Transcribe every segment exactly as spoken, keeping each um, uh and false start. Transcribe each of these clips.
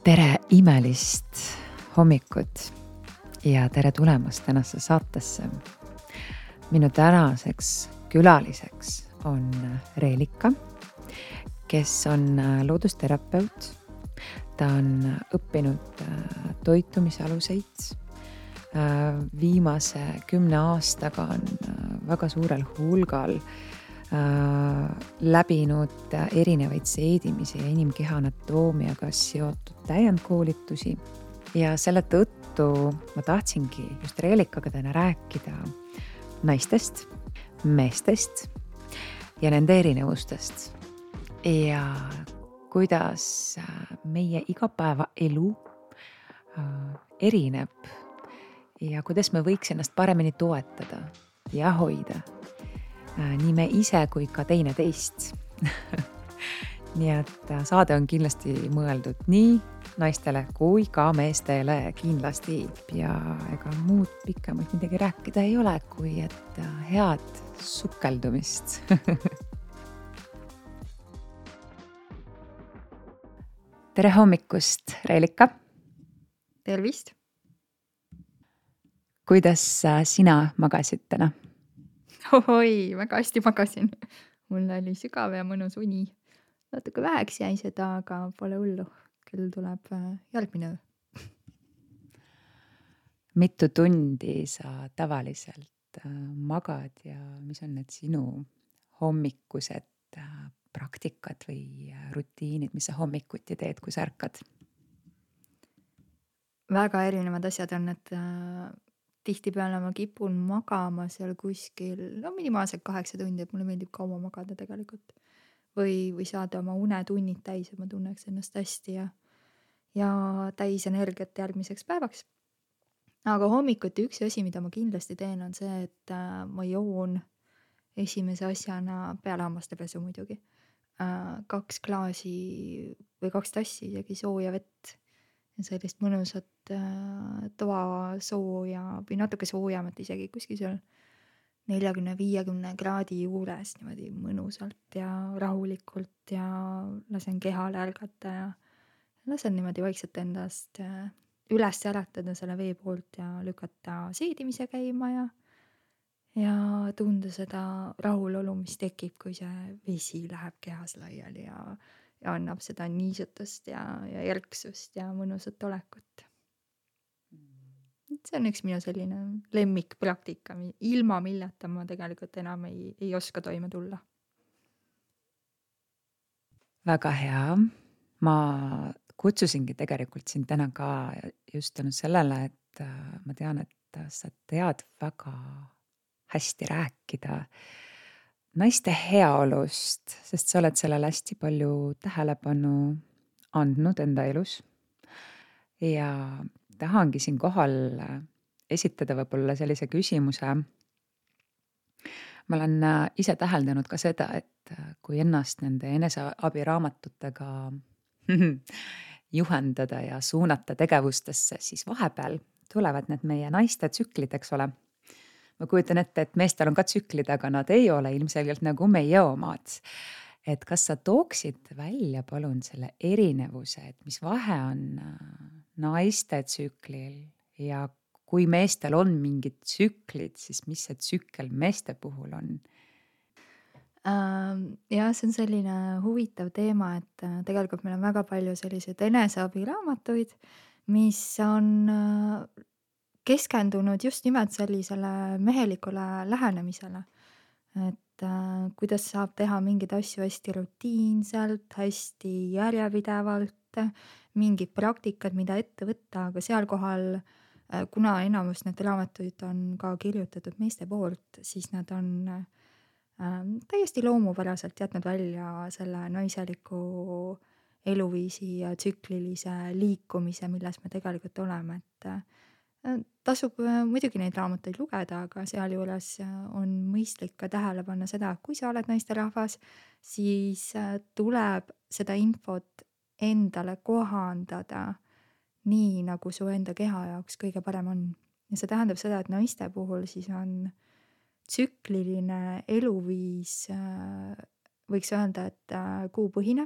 Tere imelist hommikut ja tere tulemast tänasse saatesse. Minu tänaseks külaliseks on Reelika, kes on loodusterapeut. Ta on õppinud toitumisaluseid. Viimase kümne aastaga on väga suurel hulgal läbinud erinevaid seedimisi ja inimkeha anatoomiaga seotud täiendkoolitusi. Ja selle tõttu ma tahtsingi just Reelikaga täna rääkida naistest, meestest ja nende erinevustest. Ja kuidas meie igapäevaelu erineb ja kuidas me võiks ennast paremini toetada ja hoida. Nii me ise kui ka teine teist. Nii et saade on kindlasti mõeldud nii naistele kui ka meestele kindlasti. Ja ega muud pikemalt midagi rääkida ei ole, kui et head sukeldumist. Tere hommikust, Reelika! Tervist! Kuidas sina magasid täna? Ohoi, väga hästi magasin. Mul oli sügav ja mõnus uni. Natuke väheks jäi seda, aga pole hullu. Küll tuleb järgmine öö. Mitu tundi sa tavaliselt magad ja mis on need sinu hommikused praktikad või rutiinid, mis sa hommikuti teed, kui sa ärkad? Väga erinevad asjad on, et tihtipeale ma kipun magama seal kuskil, no minimaalselt kaheksa tundi, et mulle meeldib kaua magada tegelikult. Või, või saada oma unetunnid täis, et ma tunneks ennast hästi ja, ja täis energiat järgmiseks päevaks. Aga hommikuti üks asi, mida ma kindlasti teen, on see, et ma joon esimese asjana peale hammastepesu muidugi. Kaks klaasi või kaks tassi isegi sooja vett. Ja sellist mõnusat toa sooja või natuke soojamat isegi kuskil seal neljakümne viiekümne kraadi juures niimoodi mõnusalt ja rahulikult ja lasen kehal ärgata ja lasen niimoodi vaikselt endast üles äratada selle vee poolt ja lükata seedimise käima ja, ja tunda seda rahulolu, mis tekib, kui see vesi läheb kehas laiali ja ja annab seda niisutust ja, ja järksust ja mõnusat olekut. See on üks minu selline lemmikpraktika, ilma milleta ma tegelikult enam ei, ei oska toime tulla. Väga hea. Ma kutsusingi tegelikult sind täna ka just tänu sellele, et ma tean, et sa tead väga hästi rääkida naiste heaolust, sest sa oled sellele hästi palju tähelepanu andnud enda elus. Ja tahangi siin kohal esitada võib-olla sellise küsimuse. Ma olen ise täheldanud ka seda, et kui ennast nende eneseabiraamatutega juhendada ja suunata tegevustesse, siis vahepeal tulevad need meie naiste tsüklid, eks ole. Ma kujutan ette, et meestel on ka tsüklid, aga nad ei ole ilmselgelt nagu meie omad. Et kas sa tooksid välja palun selle erinevuse, et mis vahe on naiste tsüklil ja kui meestel on mingid tsüklid, siis mis see tsükkel meeste puhul on? Ja see on selline huvitav teema, et tegelikult meil on väga palju selliseid eneseabiraamatuid, mis on keskendunud just nimelt sellisele mehelikule lähenemisele. Et kuidas saab teha mingeid asju hästi rutiinselt, hästi järjepidevalt, mingid praktikad, mida ette võtta, aga seal kohal, kuna enamus need raamatuid on ka kirjutatud meeste poolt, siis nad on täiesti loomupäraselt jätnud välja selle naiseliku eluviisi ja tsüklilise liikumise, milles me tegelikult oleme, et tasub muidugi neid raamatuid lugeda, aga sealjuures on mõistlik ka tähele panna seda, kui sa oled naisterahvas, siis tuleb seda infot endale kohandada nii, nagu su enda keha jaoks kõige parem on. Ja see tähendab seda, et naiste puhul siis on tsükliline eluviis, võiks öelda, et kuupõhine.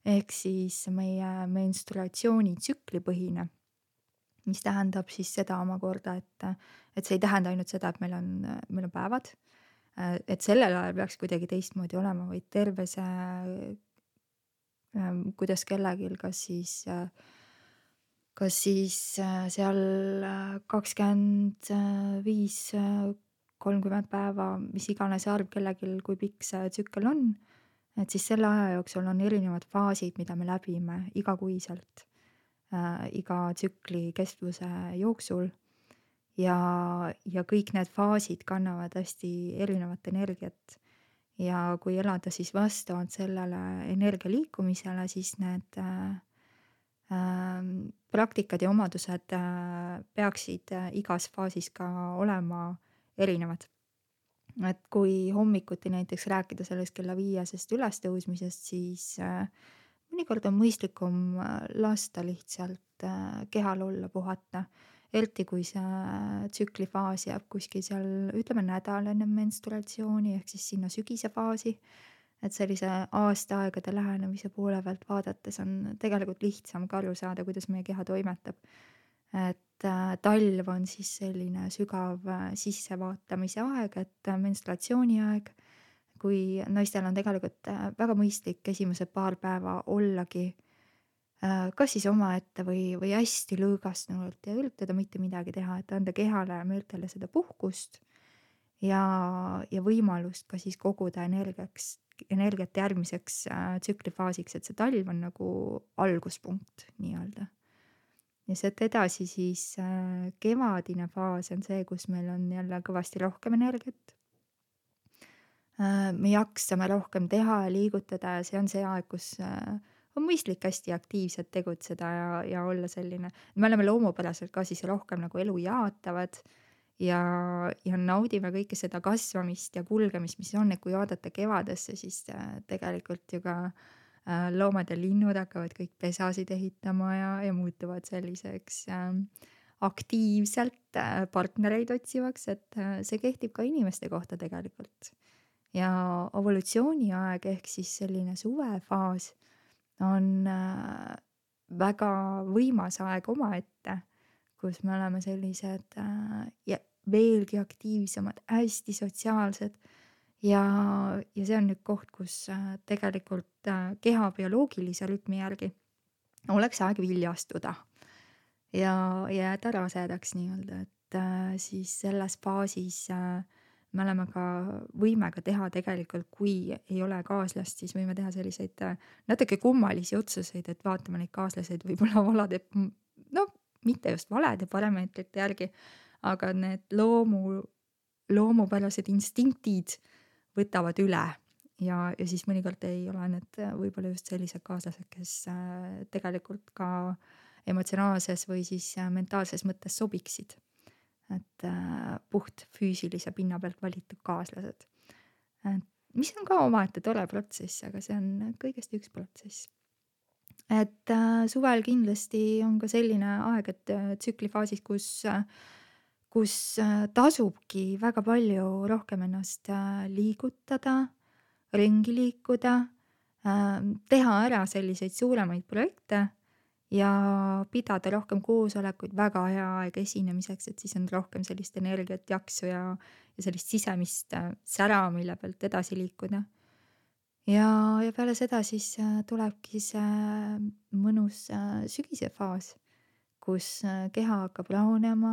ehk siis meie menstruatsioonitsüklipõhine, mis tähendab siis seda omakorda, et et see ei tähenda ainult seda, et meil on, meil on päevad, et sellel ajal peaks kuidagi teistmoodi olema, vaid terve see, ähm, kuidas kellelgi kas siis äh, kas siis äh, seal äh, kakskümmend viis, äh, kolmkümmend päeva, mis iganes arv kellelgi, kui pikk see tsükkel on, et siis selle aja jooksul on erinevad faasid, mida me läbime igakuiselt, äh, iga tsükli kestvuse jooksul. ja, ja kõik need faasid kannavad hästi erinevat energiat. ja kui elada siis vastavalt sellele energia liikumisele, siis need äh, ähm, praktikad ja omadused äh, peaksid äh, igas faasis ka olema erinevad. Et kui hommikuti näiteks rääkida sellest kella viiesest ülestõusmisest, siis äh, mõnikord on mõistlikum äh, lasta lihtsalt äh, kehal olla, puhata. Eriti kui see tsüklifaas jääb kuskil seal, ütleme nädal enne menstruatsiooni ehk siis sinna sügise faasi. Et sellise aastaaegade lähenemise poole pealt vaadates on tegelikult lihtsam ka aru saada, kuidas meie keha toimetab. Et äh, talv on siis selline sügav äh, sissevaatamise aeg, et äh, menstruatsiooniaeg, kui naistel on tegelikult äh, väga mõistlik esimesed paar päeva ollagi äh, kas siis omaette või, või hästi lõõgastunult ja üritada mitte midagi teha, et anda kehale ja meeltele seda puhkust ja, ja võimalust ka siis koguda energiaks, energiat järgmiseks äh, tsüklifaasiks, et see talv on nagu alguspunkt nii-öelda. Ja sealt edasi siis äh, kevadine faas on see, kus meil on jälle kõvasti rohkem energiat. Äh, me jaksame rohkem teha ja liigutada ja see on see aeg, kus äh, on mõistlik hästi aktiivselt tegutseda ja, ja olla selline, me oleme loomupäraselt ka siis rohkem nagu elu jaatavad ja, ja naudime kõike seda kasvamist ja kulgemist, mis on, et kui vaadata kevadesse, siis äh, tegelikult ju ka äh, loomad ja linnud hakkavad kõik pesasid ehitama ja, ja muutuvad selliseks äh, aktiivselt äh, partnereid otsivaks, et äh, see kehtib ka inimeste kohta tegelikult. Ja evolutsiooniaeg ehk siis selline suvefaas on äh, väga võimas aeg omaette, kus me oleme sellised äh, ja veelgi aktiivsemad, hästi sotsiaalsed ja, ja see on nüüd koht, kus äh, tegelikult äh, keha bioloogilise rütmi järgi oleks aeg viljastuda ja jääda rasedaks nii-öelda, et äh, siis selles faasis äh, me oleme ka, võime ka teha tegelikult, kui ei ole kaaslast, siis võime teha selliseid äh, natuke kummalisi otsuseid, et vaatame neid kaaslaseid võib-olla valade, no mitte just valede parameetrite järgi, aga need loomu, loomupärased instinktid võtavad üle ja, ja siis mõnikord ei ole need äh, võib-olla just sellised kaaslased, kes äh, tegelikult ka emotsionaalses või siis äh, mentaalses mõttes sobiksid. Et äh, puht füüsilise pinna pealt valitud kaaslased. Et mis on ka omaette tore protsess, aga see on kõigest üks protsess. Et äh, suvel kindlasti on ka selline aeg, et äh, tsüklifaasis, kus, äh, kus äh, tasubki väga palju rohkem ennast äh, liigutada, ringi liikuda, äh, teha ära selliseid suuremaid projekte ja pidada rohkem koosolekuid, väga hea aeg esinemiseks, et siis on rohkem sellist energiat, jaksu ja, ja sellist sisemist äh, sära, mille pealt edasi liikuda. Ja, ja peale seda siis äh, tulebki see mõnus äh, sügise faas, kus äh, keha hakkab rahunema,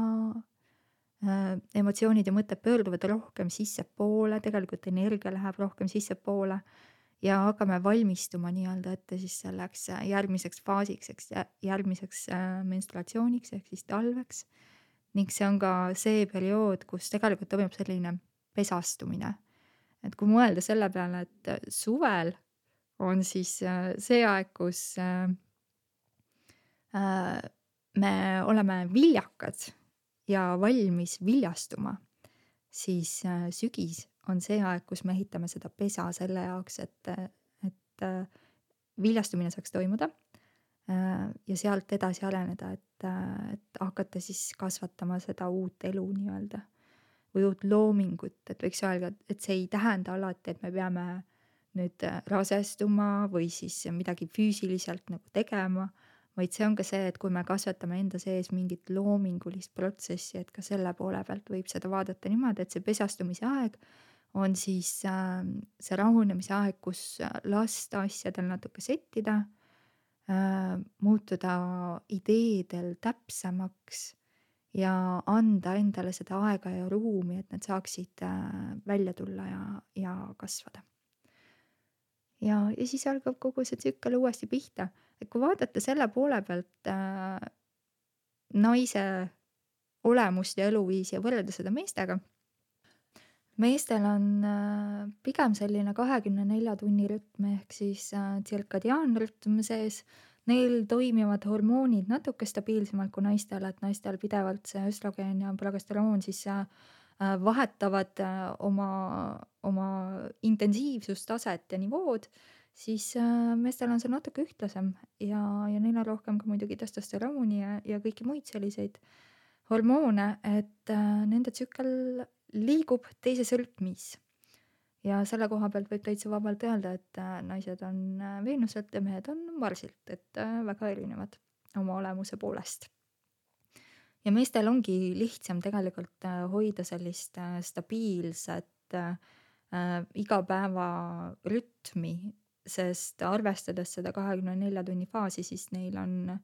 äh, emotsioonid ja mõtted pöörduvad rohkem sissepoole, tegelikult energia läheb rohkem sissepoole ja hakkame valmistuma nii-öelda ette siis selleks järgmiseks faasiks, eks järgmiseks menstruatsiooniks ehk siis talveks. Ning see on ka see periood, kus tegelikult toimub selline pesastumine. Et kui mõelda selle peale, et suvel on siis see aeg, kus me oleme viljakad ja valmis viljastuma, siis sügis on see aeg, kus me ehitame seda pesa selle jaoks, et, et viljastumine saaks toimuda ja sealt edasi areneda, et, et hakata siis kasvatama seda uut elu nii-öelda või uut loomingut, et võiks öelda, et see ei tähenda alati, et me peame nüüd äh, rasestuma või siis midagi füüsiliselt nagu tegema, vaid see on ka see, et kui me kasvatame enda sees mingit loomingulist protsessi, et ka selle poole pealt võib seda vaadata niimoodi, et see pesastumise aeg on siis äh, see rahunemise aeg, kus äh, lasta asjadel natuke settida, äh, muutuda ideedel täpsemaks ja anda endale seda aega ja ruumi, et need saaksid äh, välja tulla ja, ja kasvada. ja, ja siis algab kogu see tsükkel uuesti pihta. Et kui vaadata selle poole pealt äh, naise olemust ja eluviisi ja võrrelda seda meestega, meestel on äh, pigem selline kahekümne nelja tunni rütm ehk siis äh, tsirkadiaanrütm sees. Neil toimivad hormoonid natuke stabiilsemalt kui naistel, et naistel pidevalt see östrogeen ja progesteroon siis äh, äh, vahetavad äh, oma, oma intensiivsustaset ja nivood, siis äh, meestel on see natuke ühtlasem ja, ja neil on rohkem ka muidugi testosterooni ja, ja kõiki muid selliseid hormoone, et äh, nende tsükkel liigub teises rütmis. Ja selle koha pealt võib täitsa vabalt öelda, et äh, naised on äh, Veenuselt ja mehed on Marsilt, et äh, väga erinevad oma olemuse poolest. Ja meestel ongi lihtsam tegelikult äh, hoida sellist äh, stabiilset äh, äh, igapäeva rütmi, sest arvestades seda kahekümne nelja tunni faasi, siis neil on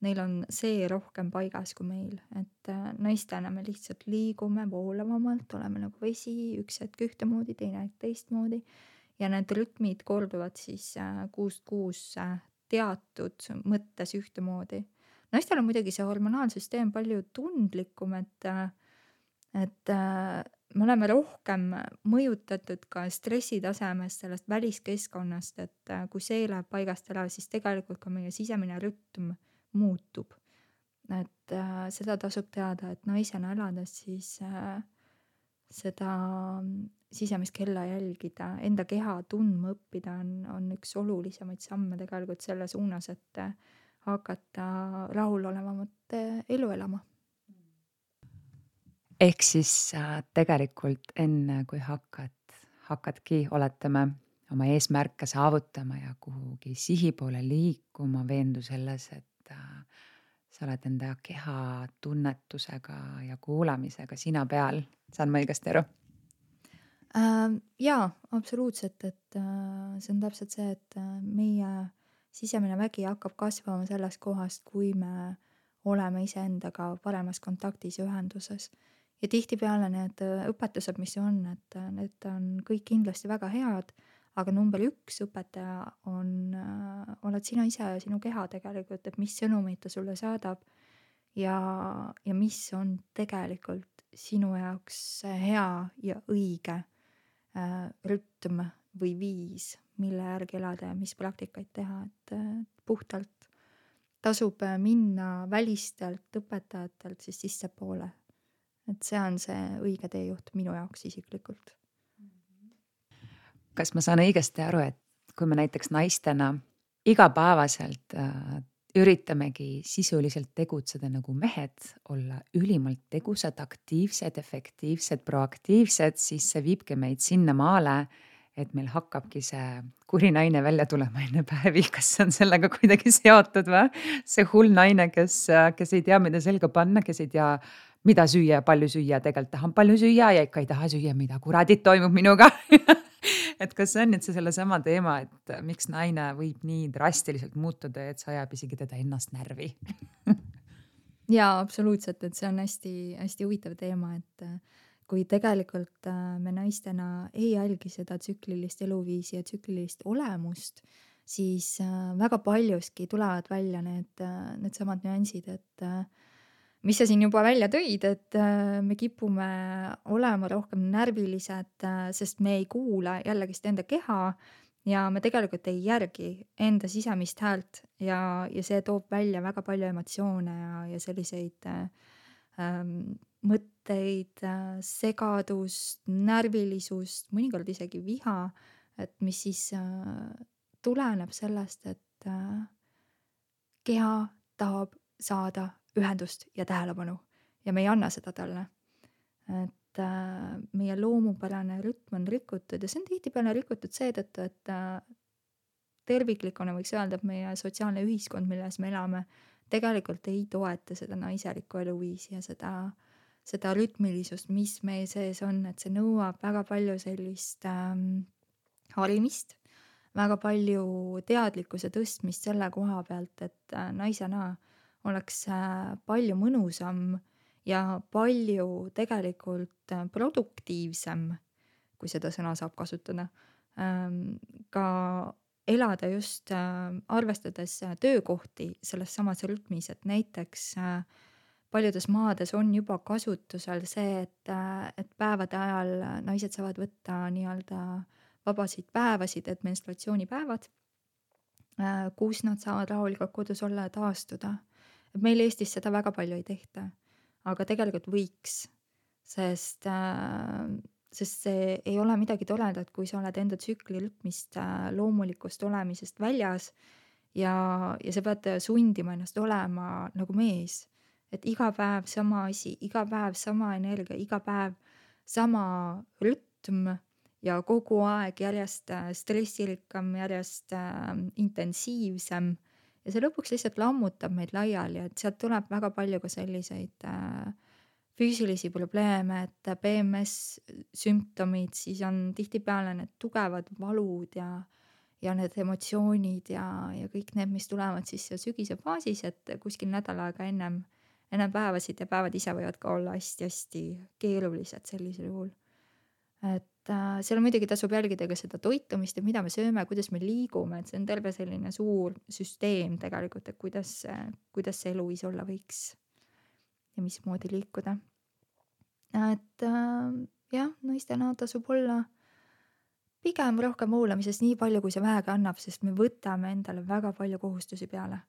Neil on see rohkem paigas kui meil, et äh, naistena me lihtsalt liigume voolavamalt, oleme nagu vesi, üks hetk ühtemoodi, teine hetk teistmoodi ja need rütmid korduvad siis äh, kuust kuusse teatud mõttes ühtemoodi. Naistel on muidugi see hormonaalsüsteem palju tundlikum, et, äh, et äh, me oleme rohkem mõjutatud ka stressitasemest, sellest väliskeskkonnast, et äh, kui see läheb paigast ära, siis tegelikult ka meie sisemine rütm muutub. Et äh, seda tasub teada, et naisena elades siis äh, seda sisemist kella jälgida, enda keha tundma õppida on, on üks olulisemaid samme tegelikult selle suunas, et äh, hakata rahulolevamat äh, elu elama. Ehk siis äh, tegelikult enne kui hakkad, hakkadki, oletame, oma eesmärke saavutama ja kuhugi sihi poole liikuma, veendu selles, et sa oled enda keha tunnetusega ja kuulamisega sina peal. Saan ma õigesti aru? Äh, jaa, absoluutselt, et äh, see on täpselt see, et äh, meie sisemine vägi hakkab kasvama sellest kohast, kui me oleme iseendaga paremas kontaktis ja ühenduses. Ja tihtipeale need äh, õpetused, mis on, et äh, need on kõik kindlasti väga head, aga number üks õpetaja on, äh, oled sina ise ja sinu keha tegelikult, et mis sõnumeid ta sulle saadab ja, ja mis on tegelikult sinu jaoks hea ja õige äh, rütm või viis, mille järgi elada ja mis praktikaid teha, et äh, puhtalt tasub äh, minna välistelt õpetajatelt siis sissepoole. Et see on see õige teejuht minu jaoks isiklikult. Kas ma saan õigesti aru, et kui me näiteks naistena igapäevaselt äh, üritamegi sisuliselt tegutseda nagu mehed, olla ülimalt tegusad, aktiivsed, efektiivsed, proaktiivsed, siis see viibki meid sinna maale, et meil hakkabki see kuri naine välja tulema enne päevi. Kas see on sellega kuidagi seotud või? See hull naine, kes, kes ei tea, mida selga panna, kes ei tea, mida süüa ja palju süüa, tegelikult tahan palju süüa ja ikka ei taha süüa, mida kuradit toimub minuga. Et kas see on nüüd see sellesama teema, et miks naine võib nii drastiliselt muutuda, et see ajab isegi teda ennast närvi? Jaa, absoluutselt, et see on hästi, hästi huvitav teema, et kui tegelikult me naistena ei jälgi seda tsüklilist eluviisi ja tsüklilist olemust, siis väga paljuski tulevad välja need, need samad nüansid, et mis sa siin juba välja tõid, et me kipume olema rohkem närvilised, sest me ei kuula jällegist enda keha ja me tegelikult ei järgi enda sisemist häält ja, ja see toob välja väga palju emotsioone ja, ja selliseid ähm, mõtteid, segadust, närvilisust, mõnikord isegi viha, et mis siis äh, tuleneb sellest, et äh, keha tahab saada ühendust ja tähelepanu ja me ei anna seda talle. Et äh, meie loomupärane rütm on rikutud ja see on tihtipeale rikutud seetõttu, et äh, terviklikuna võiks öelda, et meie sotsiaalne ühiskond, milles me elame, tegelikult ei toeta seda naiselikku eluviisi ja seda, seda rütmilisust, mis meie sees on, et see nõuab väga palju sellist ähm, harimist, väga palju teadlikkuse tõstmist selle koha pealt, et äh, naisena oleks äh, palju mõnusam ja palju tegelikult äh, produktiivsem, kui seda sõna saab kasutada, ähm, ka elada just äh, arvestades äh, töökohti selles samas rütmis, et näiteks äh, paljudes maades on juba kasutusel see, et, äh, et päevade ajal naised saavad võtta nii-öelda vabasid päevasid, et menstruatsioonipäevad, äh, kus nad saavad rahulikult kodus olla ja taastuda. Et meil Eestis seda väga palju ei tehta, aga tegelikult võiks, sest äh, sest see ei ole midagi toredat, kui sa oled enda tsükli rütmist, äh, loomulikust olemisest väljas ja, ja sa pead sundima ennast olema nagu mees. Et iga päev sama asi, iga päev sama energia, iga päev sama rütm ja kogu aeg järjest äh, stressirikkam, järjest äh, intensiivsem. Ja see lõpuks lihtsalt lammutab meid laiali, et sealt tuleb väga palju ka selliseid äh, füüsilisi probleeme, et P M S sümptomid, siis on tihtipeale need tugevad valud ja, ja need emotsioonid ja, ja kõik need, mis tulevad siis sügise faasis, et kuskil nädal aega ennem, ennem päevasid ja päevad ise võivad ka olla hästi-hästi keerulised sellisel juhul. Et äh, seal muidugi tasub jälgida ka seda toitumist ja mida me sööme, kuidas me liigume, et see on terve selline suur süsteem tegelikult, et kuidas, kuidas see eluviis olla võiks ja mismoodi liikuda. Et äh, jah, naistena tasub olla pigem rohkem hoolamises nii palju, kui see vähegi annab, sest me võtame endale väga palju kohustusi peale.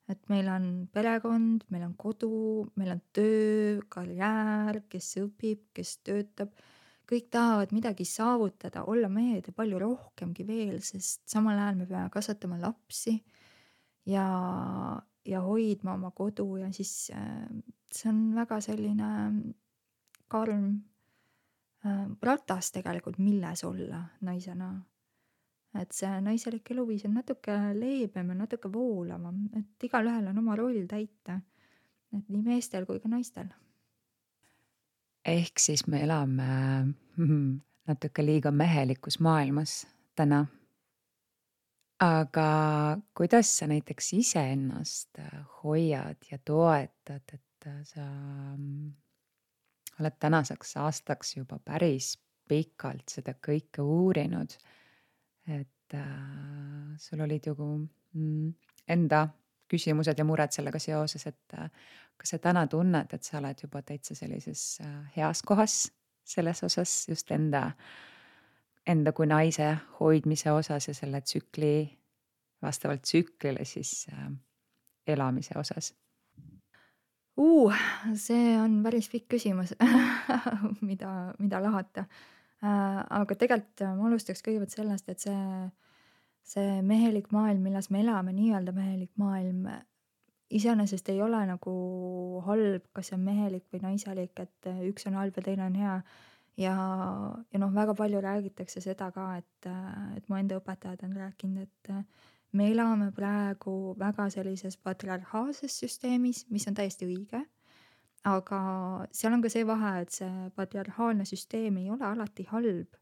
Et meil on perekond, meil on kodu, meil on töö, karjäär, kes õpib, kes töötab. Kõik tahavad midagi saavutada, olla mehed ja palju rohkemgi veel, sest samal ajal me peame kasvatama lapsi ja, ja hoidma oma kodu ja siis äh, see on väga selline karm äh, ratas tegelikult, milles olla naisena. Et see naiselik eluviis on natuke leebem ja natuke voolavam, et igalühel on oma roll täita. Et nii meestel kui ka naistel. Ehk siis me elame natuke liiga mehelikus maailmas täna. Aga kuidas sa näiteks iseennast hoiad ja toetad, et sa oled tänaseks aastaks juba päris pikalt seda kõike uurinud, et äh, sul olid ju mm, enda küsimused ja mured sellega seoses, et äh, kas sa täna tunned, et sa oled juba täitsa sellises äh, heas kohas selles osas just enda, enda kui naise hoidmise osas ja selle tsükli, vastavalt tsüklile siis äh, elamise osas? Uh, see on päris pikk küsimus, mida, mida lahata. Äh, aga tegelikult ma alustaks kõigepealt sellest, et see, see mehelik maailm, milles me elame, nii-öelda mehelik maailm, iseenesest ei ole nagu halb, kas see on mehelik või naiselik, et üks on halb ja teine on hea. Ja, ja noh, väga palju räägitakse seda ka, et, et mu enda õpetajad on rääkinud, et me elame praegu väga sellises patriarhaalses süsteemis, mis on täiesti õige, aga seal on ka see vahe, et see patriarhaalne süsteem ei ole alati halb.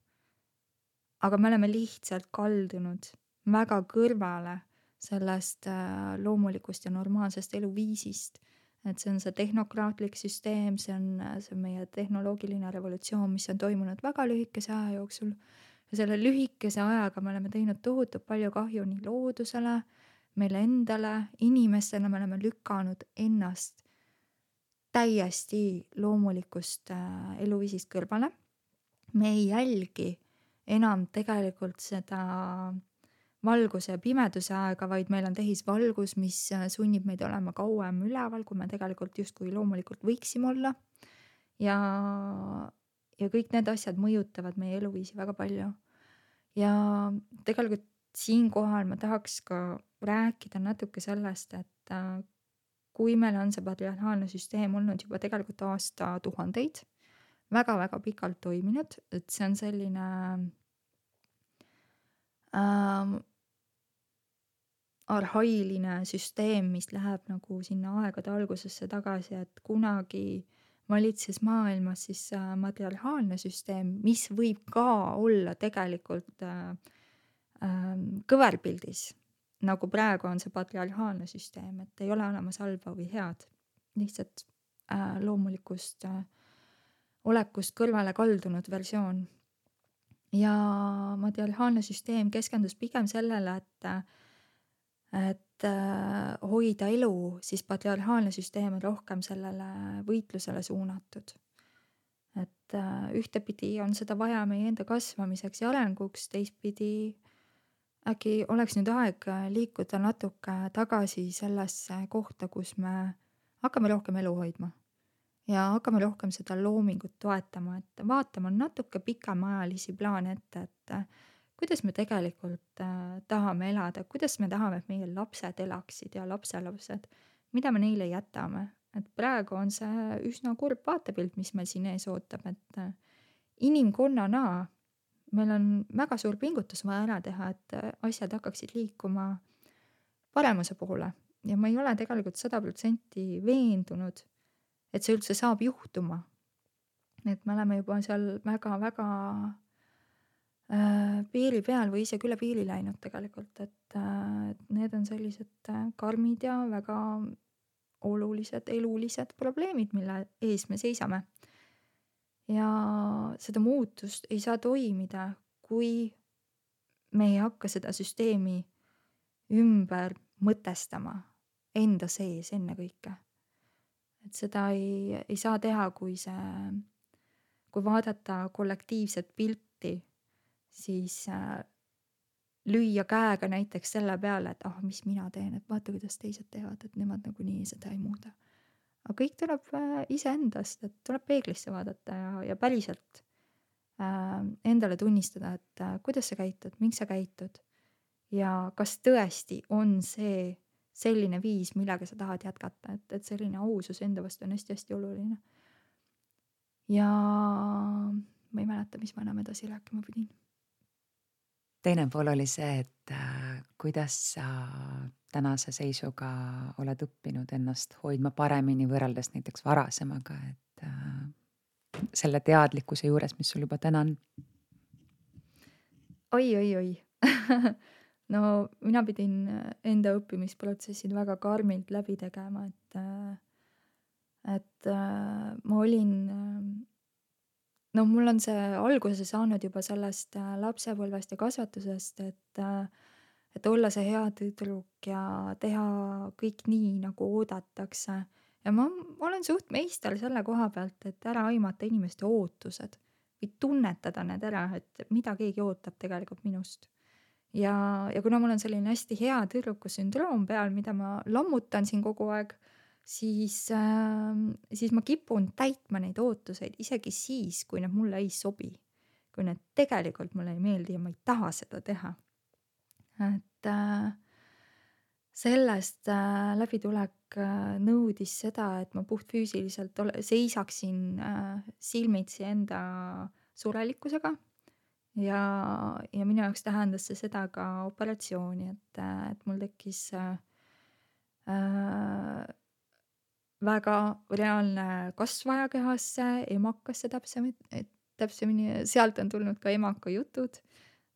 Aga me oleme lihtsalt kaldunud väga kõrvale sellest loomulikust ja normaalsest eluviisist. Et see on see tehnokraatlik süsteem, see on, see on meie tehnoloogiline revolutsioon, mis on toimunud väga lühikese aja jooksul. Ja selle lühikese ajaga me oleme teinud tohutult palju kahju nii loodusele, meile endale, inimestele me oleme lükanud ennast täiesti loomulikust eluviisist kõrvale. Me ei jälgi enam tegelikult seda valguse ja pimeduse aega, vaid meil on tehisvalgus, mis sunnib meid olema kauem üleval, kui me tegelikult justkui loomulikult võiksime olla. Ja, ja kõik need asjad mõjutavad meie eluviisi väga palju. Ja tegelikult siinkohal ma tahaks ka rääkida natuke sellest, et kui meil on see patriarhaalne süsteem olnud juba tegelikult aasta tuhandeid, väga-väga pikalt toiminud, et see on selline ähm, arhailine süsteem, mis läheb nagu sinna aegade algusesse tagasi, et kunagi valitses maailmas siis äh, matriarhaalne süsteem, mis võib ka olla tegelikult äh, ähm, kõverpildis, nagu praegu on see patriarhaalne süsteem, et ei ole olemas halba või head, lihtsalt äh, loomulikust äh, olekust kõrvale kaldunud versioon. Ja matriarhaalne süsteem keskendus pigem sellele, et äh, et äh, hoida elu, siis patriarhaalne süsteem on rohkem sellele võitlusele suunatud. Et äh, ühtepidi on seda vaja meie enda kasvamiseks ja arenguks, teistpidi äkki oleks nüüd aeg äh, liikuda natuke tagasi sellesse kohta, kus me hakkame rohkem elu hoidma ja hakkame rohkem seda loomingut toetama, et vaatama natuke pikemaajalisi plaane ette, et äh, kuidas me tegelikult äh, tahame elada, kuidas me tahame, et meie lapsed elaksid ja lapselapsed, mida me neile jätame. Et praegu on see üsna kurb vaatepilt, mis meil siin ees ootab, et äh, inimkonnana meil on väga suur pingutus vaja ära teha, et äh, asjad hakkaksid liikuma paremuse poole. Ja ma ei ole tegelikult sada protsenti veendunud, et see üldse saab juhtuma. Et me oleme juba seal väga-väga äh, piiri peal või isegi üle piiri läinud tegelikult, et äh, et need on sellised äh, karmid ja väga olulised elulised probleemid, mille ees me seisame. Ja seda muutust ei saa toimida, kui me ei hakka seda süsteemi ümber mõtestama enda sees ennekõike. Et seda ei, ei saa teha, kui see, kui vaadata kollektiivset pilti, siis äh, lüüa käega näiteks selle peale, et ah, mis mina teen, et vaata, kuidas teised teevad, et nemad nagunii seda ei muuda. Aga kõik tuleb äh, iseendast, et tuleb peeglisse vaadata ja, ja päriselt äh, endale tunnistada, et äh, kuidas sa käitud, miks sa käitud ja kas tõesti on see selline viis, millega sa tahad jätkata, et, et selline ausus enda vastu on hästi-hästi oluline. Ja ma ei mäleta, mis ma enam edasi rääkima pidin. Teine pool oli see, et äh, kuidas sa tänase seisuga oled õppinud ennast hoidma paremini võrreldes näiteks varasemaga, et äh, selle teadlikkuse juures, mis sul juba täna on. Oi, oi, oi. No mina pidin enda õppimisprotsessid väga karmilt läbi tegema, et, et ma olin, no mul on see alguse saanud juba sellest lapsepõlvest ja kasvatusest, et, et olla see hea tüdruk ja teha kõik nii, nagu oodatakse. Ja ma olen suht meister selle koha pealt, et ära aimata inimeste ootused või tunnetada need ära, et mida keegi ootab tegelikult minust. Ja, ja kuna mul on selline hästi hea tüdruku sündroom peal, mida ma lammutan siin kogu aeg, siis, äh, siis ma kipun täitma neid ootuseid isegi siis, kui need mulle ei sobi. Kui need tegelikult mulle ei meeldi ja ma ei taha seda teha. Et äh, sellest äh, läbitulek äh, nõudis seda, et ma puht füüsiliselt ole, seisaksin äh, silmitsi enda surelikkusega. Ja, ja minu jaoks tähendas see seda ka operatsiooni, et, et mul tekkis äh, väga reaalne kasvaja kehasse, emakasse täpsemini, täpsemini, sealt on tulnud ka emaka jutud,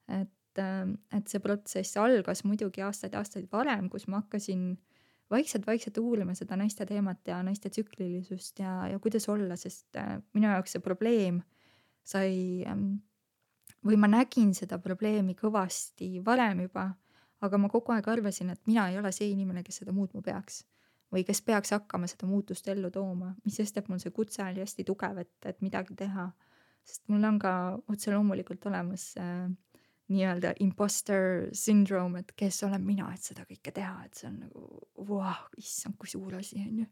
et, et see protsess algas muidugi aastaid aastaid varem, kus ma hakkasin vaikselt-vaikselt uurima seda naiste teemat ja naiste tsüklilisust ja, ja kuidas olla, sest minu jaoks see probleem sai või ma nägin seda probleemi kõvasti varem juba, aga ma kogu aeg arvasin, et mina ei ole see inimene, kes seda muutma peaks või kes peaks hakkama seda muutust ellu tooma, mis sest, et mul see kutse oli hästi tugev, et, et midagi teha. Sest mul on ka otse loomulikult olemas äh, nii-öelda imposter syndrome, et kes olen mina, et seda kõike teha, et see on nagu, vau, issand, kui suur asi on ju.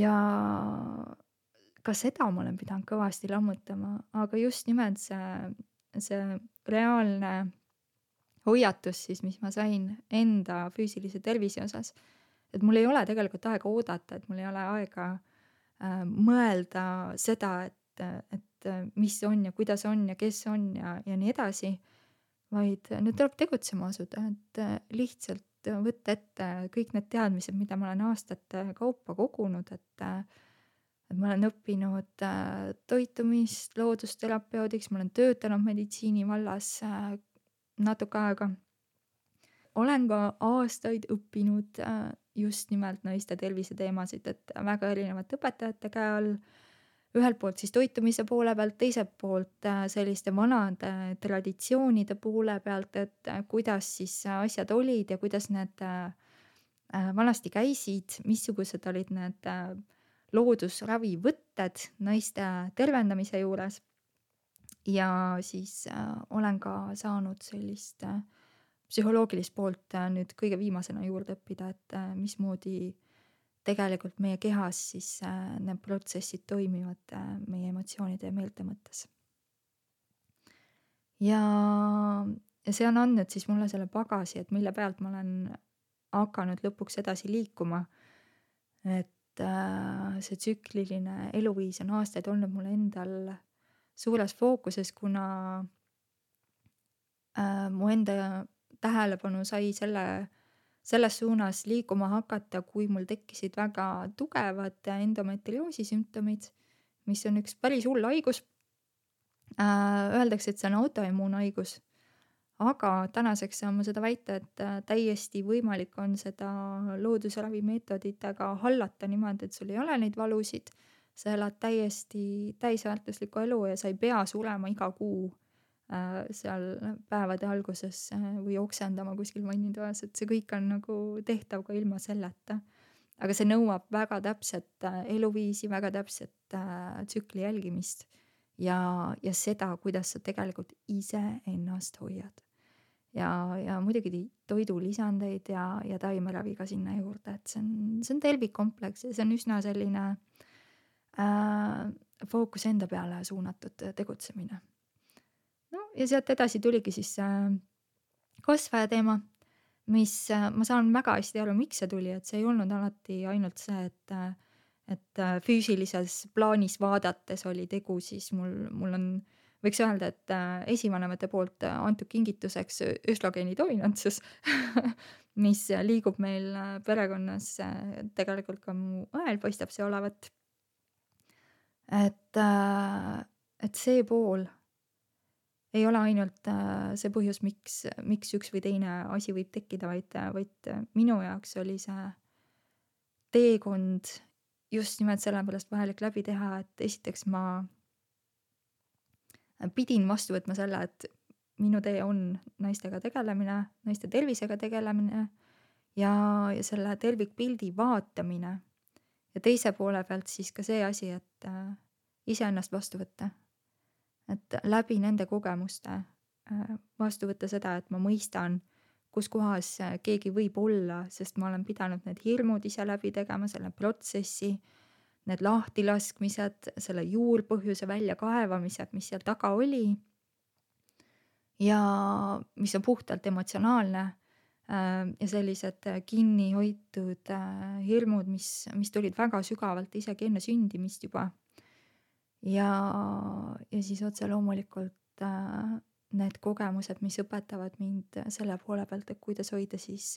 Ja ka seda ma olen pidanud kõvasti lammutama, aga just nimelt see, see reaalne hoiatus siis, mis ma sain enda füüsilise tervise osas, et mul ei ole tegelikult aega oodata, et mul ei ole aega äh, mõelda seda, et et, et mis on ja kuidas on ja kes on ja, ja nii edasi, vaid nüüd tuleb tegutsema asuda, et lihtsalt võtta ette kõik need teadmised, mida ma olen aastate kaupa kogunud, et, et ma olen õppinud äh, toitumist loodusterapeudiks, ma olen töötanud meditsiini vallas äh, natuke aega. Olen ka aastaid õppinud äh, just nimelt naiste tervise teemasid, et väga erinevate õpetajate käe all, ühelt poolt siis toitumise poole pealt, teiselt poolt äh, selliste vanade traditsioonide poole pealt, et äh, kuidas siis asjad olid ja kuidas need äh, äh, vanasti käisid, missugused olid need äh, loodusravivõtted naiste tervendamise juures. Ja siis äh, olen ka saanud sellist äh, psühholoogilist poolt äh, nüüd kõige viimasena juurde õppida, et äh, mismoodi tegelikult meie kehas siis äh, need protsessid toimivad äh, meie emotsioonide ja meelte mõttes. Ja, ja see on andnud siis mulle selle pagasi, et mille pealt ma olen hakanud lõpuks edasi liikuma. Et äh, see tsükliline eluviis on aastaid olnud mulle endal suures fookuses, kuna äh, mu enda tähelepanu sai selle, selles suunas liikuma hakata, kui mul tekkisid väga tugevad endometrioosi sümptomid, mis on üks päris hull haigus. Äh, öeldakse, et see on autoimmuunhaigus, aga tänaseks saan ma seda väita, et täiesti võimalik on seda loodusravimeetoditega hallata niimoodi, et sul ei ole neid valusid, sa elad täiesti täisväärtuslikku elu ja sa ei pea surema iga kuu äh, seal päevade alguses äh, või oksendama kuskil vannitoas, et see kõik on nagu tehtav ka ilma selleta. Aga see nõuab väga täpset äh, eluviisi, väga täpset äh, tsükli jälgimist ja, ja seda, kuidas sa tegelikult ise ennast hoiad. Ja, ja muidugi toidulisandeid ja, ja taimeravi ka sinna juurde, et see on, see on tervikkompleks ja see on üsna selline äh, fookus enda peale suunatud tegutsemine. No ja sealt edasi tuligi siis äh, kasvaja teema, mis äh, ma saan väga hästi aru, miks see tuli, et see ei olnud alati ainult see, et, äh, et äh, füüsilises plaanis vaadates oli tegu, siis mul, mul on võiks öelda, et äh, esivanemate poolt äh, antud kingituseks östrogeeni dominantsus, mis liigub meil äh, perekonnas äh, tegelikult ka mu õel paistab see olevat. Et, äh, et see pool ei ole ainult äh, see põhjus, miks, miks üks või teine asi võib tekkida, vaid, vaid minu jaoks oli see teekond just nimelt sellepärast vajalik läbi teha, et esiteks ma pidin vastu võtma selle, et minu tee on naistega tegelemine, naiste tervisega tegelemine ja, ja selle tervikpildi vaatamine. Ja teise poole pealt siis ka see asi, et äh, iseennast vastu võtta. Et läbi nende kogemuste äh, vastu võtta seda, et ma mõistan, kus kohas keegi võib olla, sest ma olen pidanud need hirmud ise läbi tegema, selle protsessi, need lahtilaskmised, selle juurpõhjuse väljakaevamised, mis seal taga oli ja mis on puhtalt emotsionaalne ja sellised kinni hoitud hirmud, mis, mis tulid väga sügavalt isegi enne sündimist juba. Ja, ja siis otse loomulikult need kogemused, mis õpetavad mind selle poole pealt, et kuidas hoida siis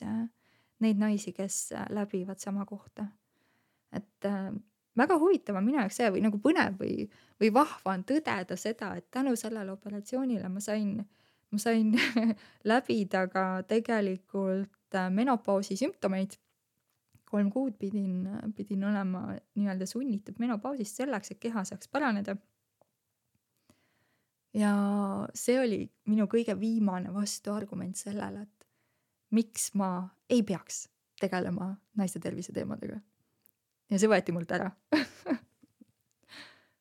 neid naisi, kes läbivad sama kohta. Et väga huvitav on minu jaoks see või nagu põnev või, või vahva on tõdeda seda, et tänu sellele operatsioonile ma sain, ma sain läbida ka tegelikult menopausi sümptomeid. Kolm kuud pidin, pidin olema nii-öelda sunnitud menopausist selleks, et keha saaks paraneda. Ja see oli minu kõige viimane vastuargument sellele, et miks ma ei peaks tegelema naiste tervise teemadega. Ja see võeti mult ära.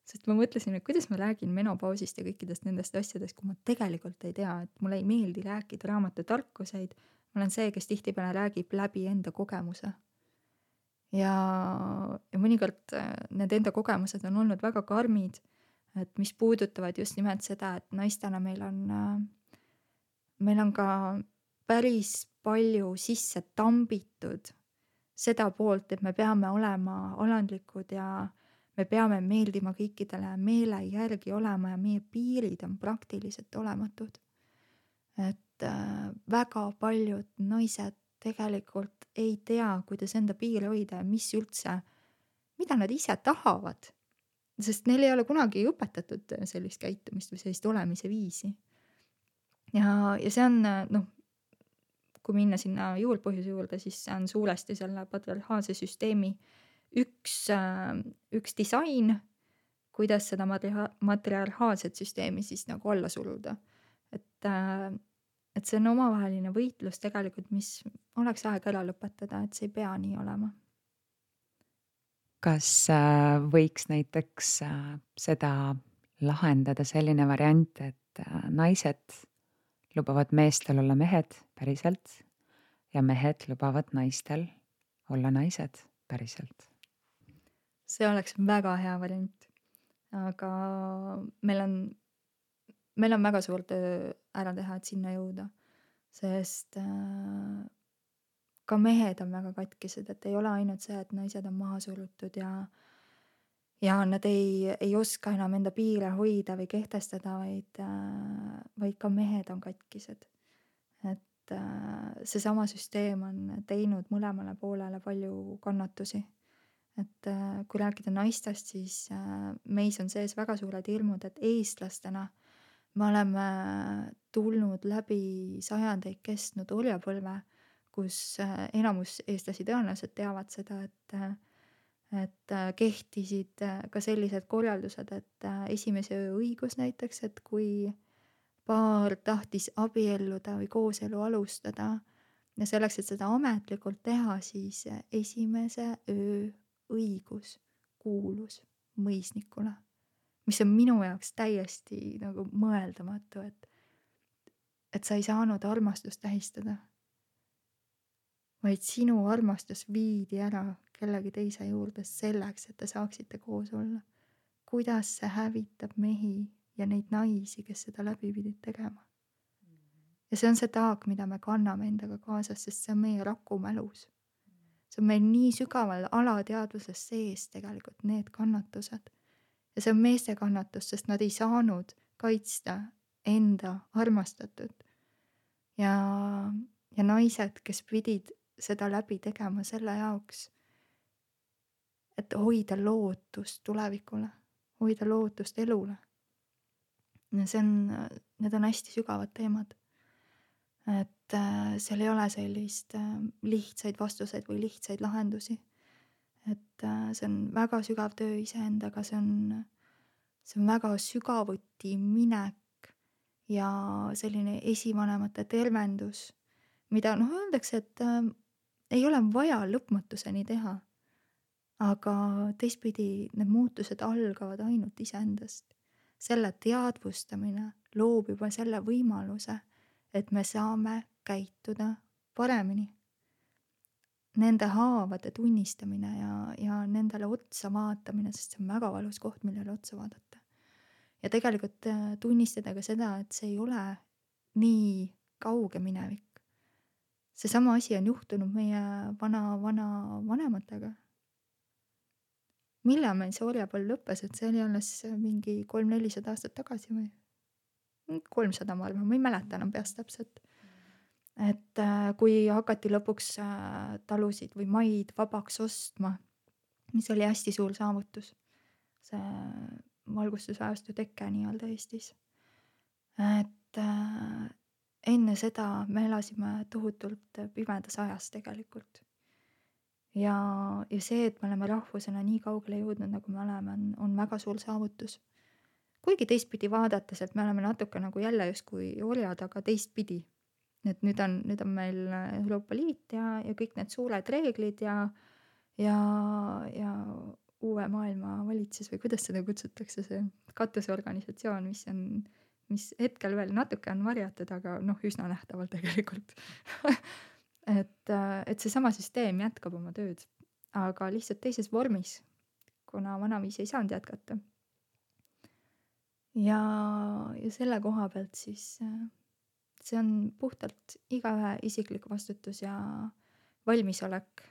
Sest ma mõtlesin, et kuidas ma räägin menopausist ja kõikidest nendest asjadest, kui ma tegelikult ei tea, et mulle ei meeldi rääkida raamatu tarkuseid. Ma olen see, kes tihtipeale räägib läbi enda kogemuse. Ja, ja mõnikord need enda kogemused on olnud väga karmid, et mis puudutavad just nimelt seda, et naistena meil on, meil on ka päris palju sisse tambitud seda poolt, et me peame olema alandlikud ja me peame meeldima kõikidele, meele järgi olema ja meie piirid on praktiliselt olematud. Et äh, väga paljud naised tegelikult ei tea, kuidas enda piire hoida ja mis üldse, mida nad ise tahavad. Sest neil ei ole kunagi õpetatud sellist käitumist või sellist olemise viisi. Ja, ja see on, noh, kui minna sinna juurpõhjuse juurde, siis see on suuresti selle patriarhaalse süsteemi üks, äh, üks disain, kuidas seda matria- matriarhaalset süsteemi siis nagu alla suruda. Et, äh, et see on omavaheline võitlus tegelikult, mis oleks aeg ära lõpetada, et see ei pea nii olema. Kas äh, võiks näiteks äh, seda lahendada selline variant, et äh, naised lubavad meestel olla mehed päriselt ja mehed lubavad naistel olla naised päriselt? See oleks väga hea variant. Aga meil on, meil on väga suur töö ära teha, et sinna jõuda. Sest äh, ka mehed on väga katkised, et ei ole ainult see, et naised on maha surutud ja ja nad ei, ei oska enam enda piire hoida või kehtestada, vaid, äh, vaid ka mehed on katkised. Et äh, seesama süsteem on teinud mõlemale poolele palju kannatusi. Et äh, kui rääkida naistest, siis äh, meis on sees väga suured hirmud, et eestlastena me oleme tulnud läbi sajandeid kestnud orjapõlve, kus äh, enamus eestlasi tõenäoliselt teavad seda, et äh, et äh, kehtisid äh, ka sellised korraldused, et äh, esimese öö õigus näiteks, et kui paar tahtis abielluda või kooselu alustada ja selleks, et seda ametlikult teha, siis äh, esimese öö õigus kuulus mõisnikule, mis on minu jaoks täiesti nagu mõeldamatu, et, et sa ei saanud armastust tähistada, vaid sinu armastus viidi ära kellegi teise juurde selleks, et te saaksite koos olla. Kuidas see hävitab mehi ja neid naisi, kes seda läbi pidid tegema. Ja see on see taak, mida me kanname endaga kaasas, sest see on meie rakumälus. See on meil nii sügaval alateadvuses sees tegelikult need kannatused. Ja see on meeste kannatus, sest nad ei saanud kaitsta enda armastatud. Ja, ja naised, kes pidid seda läbi tegema selle jaoks, et hoida lootust tulevikule, hoida lootust elule. Ja see on, need on hästi sügavad teemad. Et äh, seal ei ole sellist äh, lihtsaid vastuseid või lihtsaid lahendusi. Et äh, see on väga sügav töö iseendaga, see on, see on väga sügavuti minek ja selline esivanemate tervendus, mida noh öeldakse, et äh, ei ole vaja lõpmatuseni teha. Aga teistpidi need muutused algavad ainult iseendast. Selle teadvustamine loob juba selle võimaluse, et me saame käituda paremini. Nende haavade tunnistamine ja, ja nendele otsa vaatamine, sest see on väga valus koht, millele otsa vaadata. Ja tegelikult tunnistada ka seda, et see ei ole nii kauge minevik. Seesama asi on juhtunud meie vana, vana vanematega. Millal meil see orjapõlv lõppes, et see oli alles mingi kolm-nelisada aastat tagasi või? kolmsada ma arvan, ma ei mäleta enam peast täpselt. Et äh, kui hakati lõpuks äh, talusid või maid vabaks ostma, mis oli hästi suur saavutus. See valgustusajastu teke nii-öelda Eestis. Et äh, enne seda me elasime tohutult pimedas ajas tegelikult. Ja, ja see, et me oleme rahvusena nii kaugele jõudnud, nagu me oleme, on, on väga suur saavutus. Kuigi teistpidi vaadates, et me oleme natuke nagu jälle justkui orjad, aga teistpidi. Et nüüd on, nüüd on meil Euroopa Liit ja, ja kõik need suured reeglid ja, ja, ja uue maailma valitsus või kuidas seda kutsutakse, see katusorganisatsioon, mis on, mis hetkel veel natuke on varjatud, aga noh, üsna nähtavalt tegelikult. Et, et seesama süsteem jätkab oma tööd, aga lihtsalt teises vormis, kuna vanaviisi ei saanud jätkata. Ja, ja selle koha pealt siis see on puhtalt igaühe isiklik vastutus ja valmisolek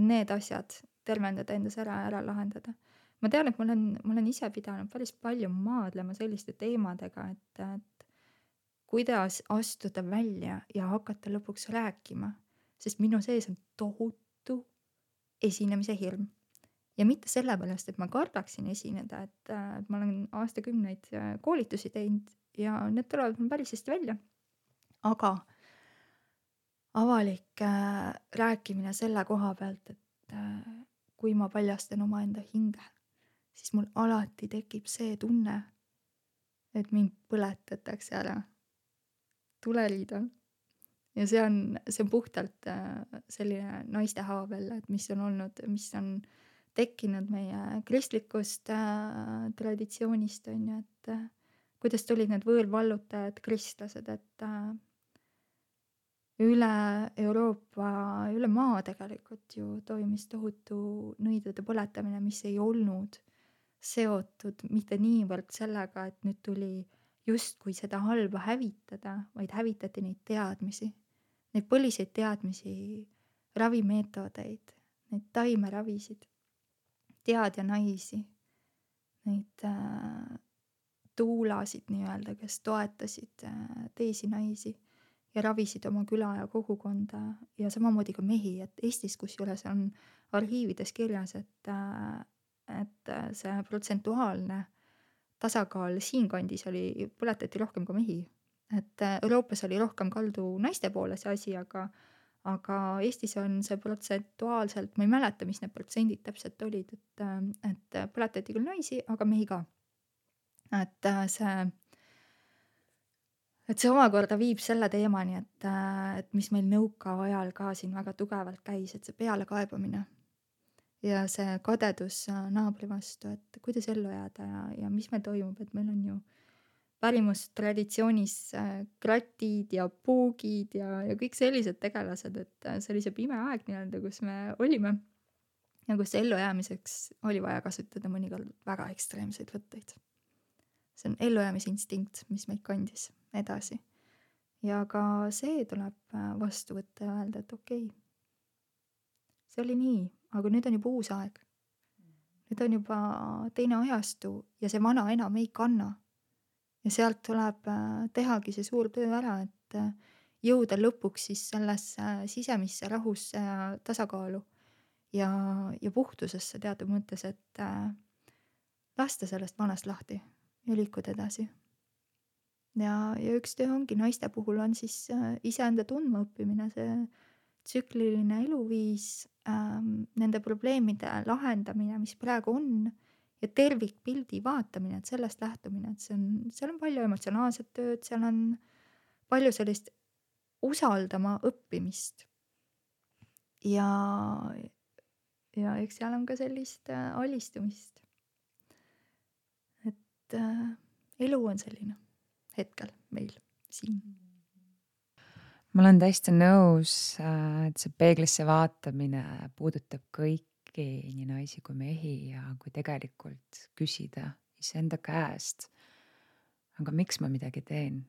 need asjad tervendada endas ära ja ära lahendada. ma tean, et ma olen, ma olen ise pidanud päris palju maadlema selliste teemadega, et, et kuidas astuda välja ja hakata lõpuks rääkima, sest minu sees on tohutu esinemise hirm. Ja mitte sellepärast, et ma kardaksin esineda, et, äh, et ma olen aastakümneid äh, koolitusi teinud ja need tulevad mul päris hästi välja. Aga avalik äh, rääkimine selle koha pealt, et äh, kui ma paljastan omaenda hinge, siis mul alati tekib see tunne, et mind põletatakse ära tuleriidal. Ja see on, see on puhtalt äh, selline naiste haavel, et mis on olnud, mis on tekkinud meie kristlikust äh, traditsioonist, on ju, et äh, kuidas tulid need võõrvallutajad, kristlased, et äh, üle Euroopa, üle maa tegelikult ju toimus tohutu nõidude põletamine, mis ei olnud seotud mitte niivõrd sellega, et nüüd tuli justkui seda halba hävitada, vaid hävitati neid teadmisi, neid põliseid teadmisi, ravimeetodeid, neid taimeravisid, teadja naisi, neid äh, tuulasid nii-öelda, kes toetasid äh, teisi naisi ja ravisid oma küla ja kogukonda ja samamoodi ka mehi, et Eestis kusjuures on arhiivides kirjas, et, äh, et äh, see protsentuaalne tasakaal siinkandis oli, põletati rohkem ka mehi. Et äh, Euroopas oli rohkem kaldu naiste poole see asi, aga, aga Eestis on see protsentuaalselt, ma ei mäleta, mis need protsendid täpselt olid, et, äh, et põletati küll naisi, aga mehi ka. Et äh, see, et see omakorda viib selle teemani, et, äh, et mis meil nõukaajal ka siin väga tugevalt käis, et see pealekaebamine ja see kadedus äh, naabri vastu, et kuidas ellu jääda ja, ja mis meil toimub, et meil on ju pärimustraditsioonis äh, kratid ja puugid ja, ja kõik sellised tegelased, et äh, see oli see pime aeg nii-öelda, kus me olime ja kus ellujäämiseks oli vaja kasutada mõnikord väga ekstreemseid võtteid. See on ellujäämisinstinkt, mis meid kandis edasi. Ja ka see tuleb äh, vastu võtta ja öelda, et okei, see oli nii, aga nüüd on juba uus aeg. Nüüd on juba teine ajastu ja see vana enam ei kanna. Ja sealt tuleb äh, tehagi see suur töö ära, et äh, jõuda lõpuks siis sellesse sisemisse rahusse ja tasakaalu ja, ja puhtusesse teatud mõttes, et äh, lasta sellest vanast lahti ja liikuda edasi. Ja, ja üks töö ongi naiste puhul on siis äh, iseenda tundma õppimine, see tsükliline eluviis, ähm, nende probleemide lahendamine, mis praegu on, ja tervikpildi vaatamine, et sellest lähtumine, et see on, seal on palju emotsionaalset tööd, seal on palju sellist usaldama õppimist. Ja, ja eks seal on ka sellist äh, alistumist. Et äh, elu on selline hetkel meil siin. Ma olen täiesti nõus, et see peeglisse vaatamine puudutab kõiki, nii naisi kui mehi, ja kui tegelikult küsida iseenda käest, aga miks ma midagi teen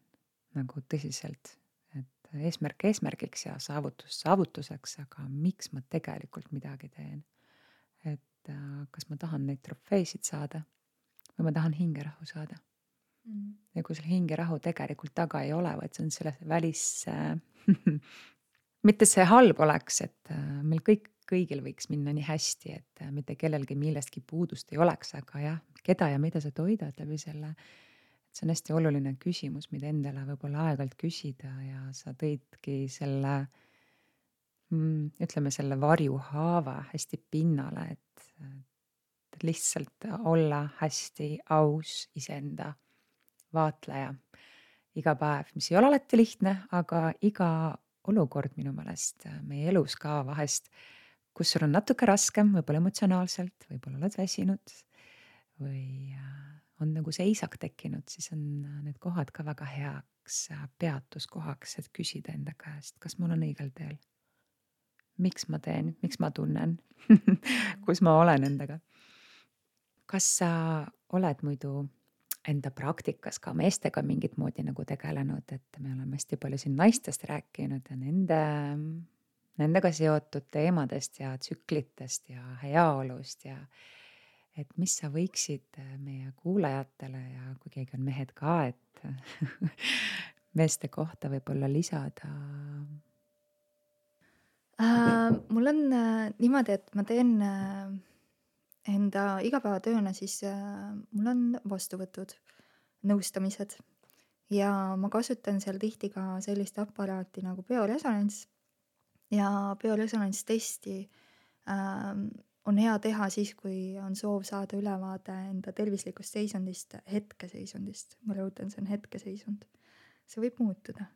nagu tõsiselt, et eesmärk eesmärgiks ja saavutus saavutuseks, aga miks ma tegelikult midagi teen, et kas ma tahan neid trofeesid saada või ma tahan hingerahu saada. Mm. Ja kui selle hingerahu tegelikult taga ei ole, vaid see on selle välis mitte see halb oleks, et meil kõik, kõigil võiks minna nii hästi, et mitte kellelgi millestki puudust ei oleks, aga jah, keda ja mida sa toidad läbi selle, et see on hästi oluline küsimus, mida endale võib-olla aeg-ajalt küsida, ja sa tõidki selle mm, ütleme selle varjuhaava hästi pinnale, et, et lihtsalt olla hästi aus iseenda vaatleja iga päev, mis ei ole alati lihtne, aga iga olukord minu meelest meie elus ka vahest, kus sul on natuke raskem, võib-olla emotsionaalselt, võib-olla oled väsinud või on nagu seisak tekkinud, siis on need kohad ka väga heaks peatuskohaks, et küsida enda käest, kas ma olen õigel teel, miks ma teen, miks ma tunnen kus ma olen endaga. Kas sa oled muidu enda praktikas ka meestega mingit moodi nagu tegelenud, et me oleme hästi palju siin naistest rääkinud ja nende, nendega seotud teemadest ja tsüklitest ja heaolust ja et mis sa võiksid äh, meie kuulajatele ja kui keegi on mehed ka, et meeste kohta võib-olla lisada? Äh, mul on äh, niimoodi, et ma teen äh, enda igapäevatööna, siis äh, mul on vastuvõtud, nõustamised ja ma kasutan seal tihti ka sellist aparaati nagu bioresonants ja bioresonantstesti ähm, on hea teha siis, kui on soov saada ülevaade enda tervislikust seisundist, hetkeseisundist. Ma rõhutan, see on hetkeseisund. See võib muutuda.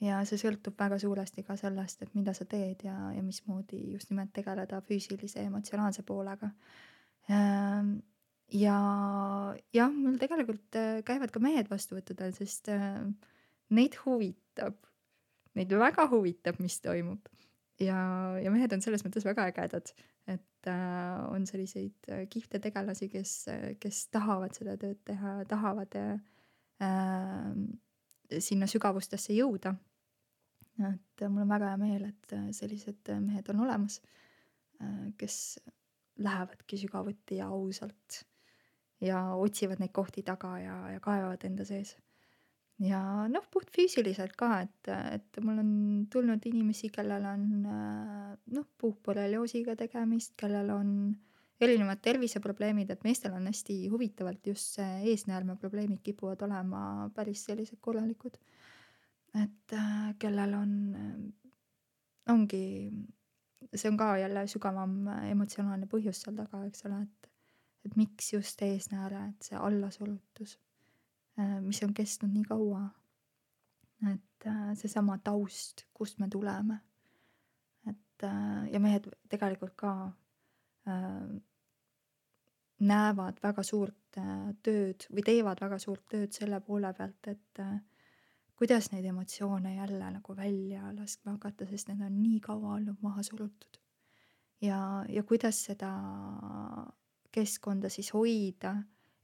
Ja see sõltub väga suuresti ka sellest, et mida sa teed ja, ja mismoodi just nimelt tegeleda füüsilise ja emotsionaalse poolega. Ähm, Ja jah, mul tegelikult äh, käivad ka mehed vastuvõttudel, sest äh, neid huvitab, neid väga huvitab, mis toimub. Ja, ja mehed on selles mõttes väga ägedad, et äh, on selliseid äh, kihvte tegelasi, kes, äh, kes tahavad seda tööd teha, tahavad äh, äh, sinna sügavustesse jõuda. Et äh, mul on väga hea meel, et äh, sellised äh, mehed on olemas, äh, kes lähevadki sügavuti ja ausalt ja otsivad neid kohti taga ja, ja kaevavad enda sees. Ja noh, puht füüsiliselt ka, et, et mul on tulnud inimesi, kellel on äh, noh, puuhborrelioosiga tegemist, kellel on erinevad terviseprobleemid, et meestel on hästi huvitavalt just see eesnäärmeprobleemid kipuvad olema päris sellised korralikud. Et äh, kellel on, äh, ongi, see on ka jälle sügavam äh, emotsionaalne põhjus seal taga, eks ole, et, et miks just eesnääre, et see allasurutus, äh, mis on kestnud nii kaua, et äh, seesama taust, kust me tuleme, et äh, ja mehed tegelikult ka äh, näevad väga suurt äh, tööd või teevad väga suurt tööd selle poole pealt, et äh, kuidas neid emotsioone jälle nagu välja laskma hakata, sest need on nii kaua olnud maha surutud. Ja, ja kuidas seda keskkonda siis hoida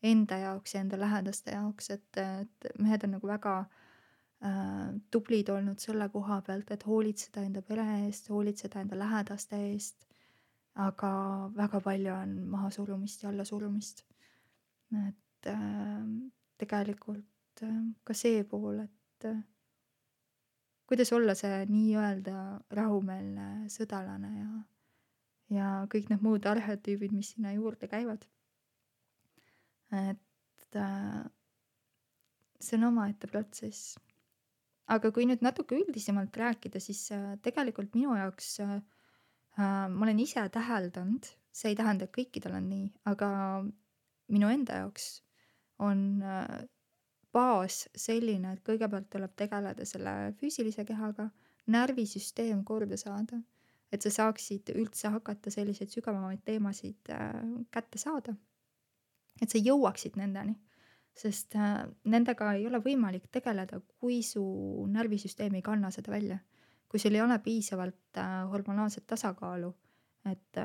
enda jaoks ja enda lähedaste jaoks, et, et mehed on nagu väga äh, tublid olnud selle koha pealt, et hoolitseda enda pere eest, hoolitseda enda lähedaste eest, aga väga palju on maha surumist ja alla surumist. Et äh, tegelikult äh, ka see pool, et kuidas olla see nii-öelda rahumeelne sõdalane ja, ja kõik need muud arhetüübid, mis sinna juurde käivad. Et äh, see on omaette protsess. Aga kui nüüd natuke üldisemalt rääkida, siis äh, tegelikult minu jaoks äh, ma olen ise täheldanud, see ei tähenda, et kõikidel on nii, aga minu enda jaoks on äh, baas selline, et kõigepealt tuleb tegeleda selle füüsilise kehaga, närvisüsteem korda saada, et sa saaksid üldse hakata selliseid sügavamaid teemasid äh, kätte saada, et sa jõuaksid nendeni, sest äh, nendega ei ole võimalik tegeleda, kui su närvisüsteem ei kanna seda välja, kui sul ei ole piisavalt äh, hormonaalset tasakaalu, et,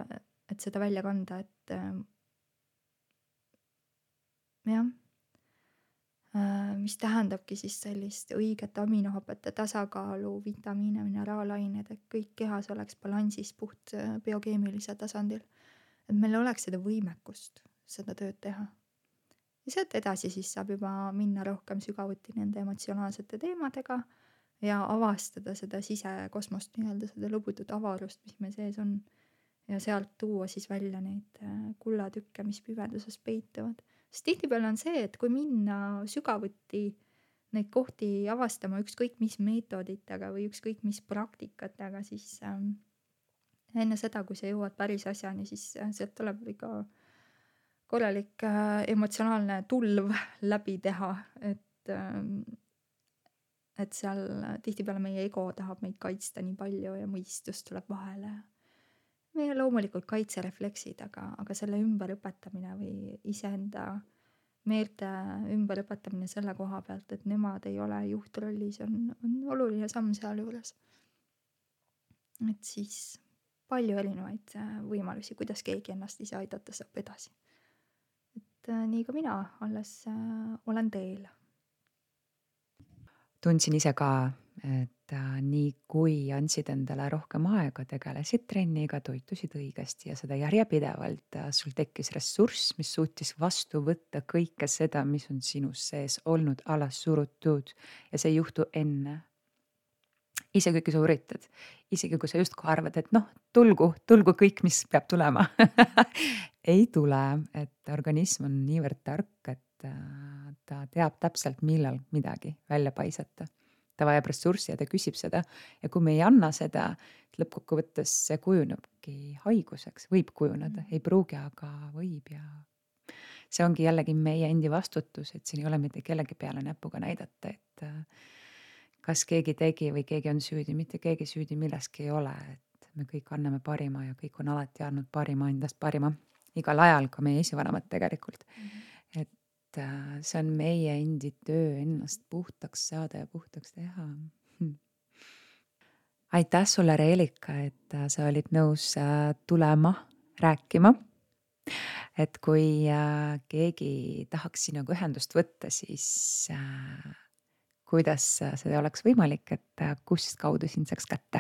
et seda välja kanda, et äh, jah, mis tähendabki siis sellist õiget aminohapete tasakaalu, vitamiine, mineraalained, et kõik kehas oleks balansis puht biokeemilisel tasandil. Et meil oleks seda võimekust seda tööd teha. Ja sealt edasi siis saab juba minna rohkem sügavuti nende emotsionaalsete teemadega ja avastada seda sisekosmost, nii-öelda seda lõbutut avarust, mis meil sees on. Ja sealt tuua siis välja neid kullatükke, mis pimeduses peituvad. Sest tihtipeale on see, et kui minna sügavuti neid kohti avastama ükskõik mis meetoditega või ükskõik mis praktikatega, siis äh, enne seda, kui sa jõuad päris asjani, siis äh, sealt tuleb ikka korralik äh, emotsionaalne tulv läbi teha, et, äh, et seal tihtipeale meie ego tahab meid kaitsta nii palju ja mõistus tuleb vahele. Meie loomulikult kaitserefleksid, aga, aga selle ümberõpetamine või iseenda meelte ümberõpetamine selle koha pealt, et nemad ei ole juhtrollis, on, on oluline samm seal juures. Et siis palju erinevaid võimalusi, kuidas keegi ennast ise aidata saab edasi. Et nii ka mina alles äh, olen teel. Tundsin ise ka et äh, nii kui andsid endale rohkem aega, tegelesid trenniga, toitusid õigesti ja seda järjepidevalt, äh, sul tekkis ressurss, mis suutis vastu võtta kõike seda, mis on sinus sees olnud alas surutud ja see ei juhtu enne. Isegi kui sa üritad, isegi kui sa justkui arvad, et noh, tulgu, tulgu kõik, mis peab tulema. Ei tule, et organism on niivõrd tark, et äh, ta teab täpselt, millal midagi välja paisata. Ta vajab ressurssi ja ta küsib seda. Ja kui me ei anna seda, et lõppkokkuvõttes see kujunebki haiguseks, võib kujuneda, ei pruugi, aga võib ja see ongi jällegi meie endi vastutus, et siin ei ole mitte kellegi peale näpuga näidata, et äh, kas keegi tegi või keegi on süüdi, mitte keegi süüdi milleski ei ole, et me kõik anname parima ja kõik on alati andnud parima endast parima. Igal ajal, ka meie esivanemad tegelikult. Mm-hmm. Et äh, see on meie endi töö ennast puhtaks saada ja puhtaks teha. Hm. Aitäh sulle, Reelika, et äh, sa olid nõus äh, tulema rääkima. Et kui äh, keegi tahaks sinuga ühendust võtta, siis äh, kuidas see oleks võimalik, et kust kaudu sind saaks kätte?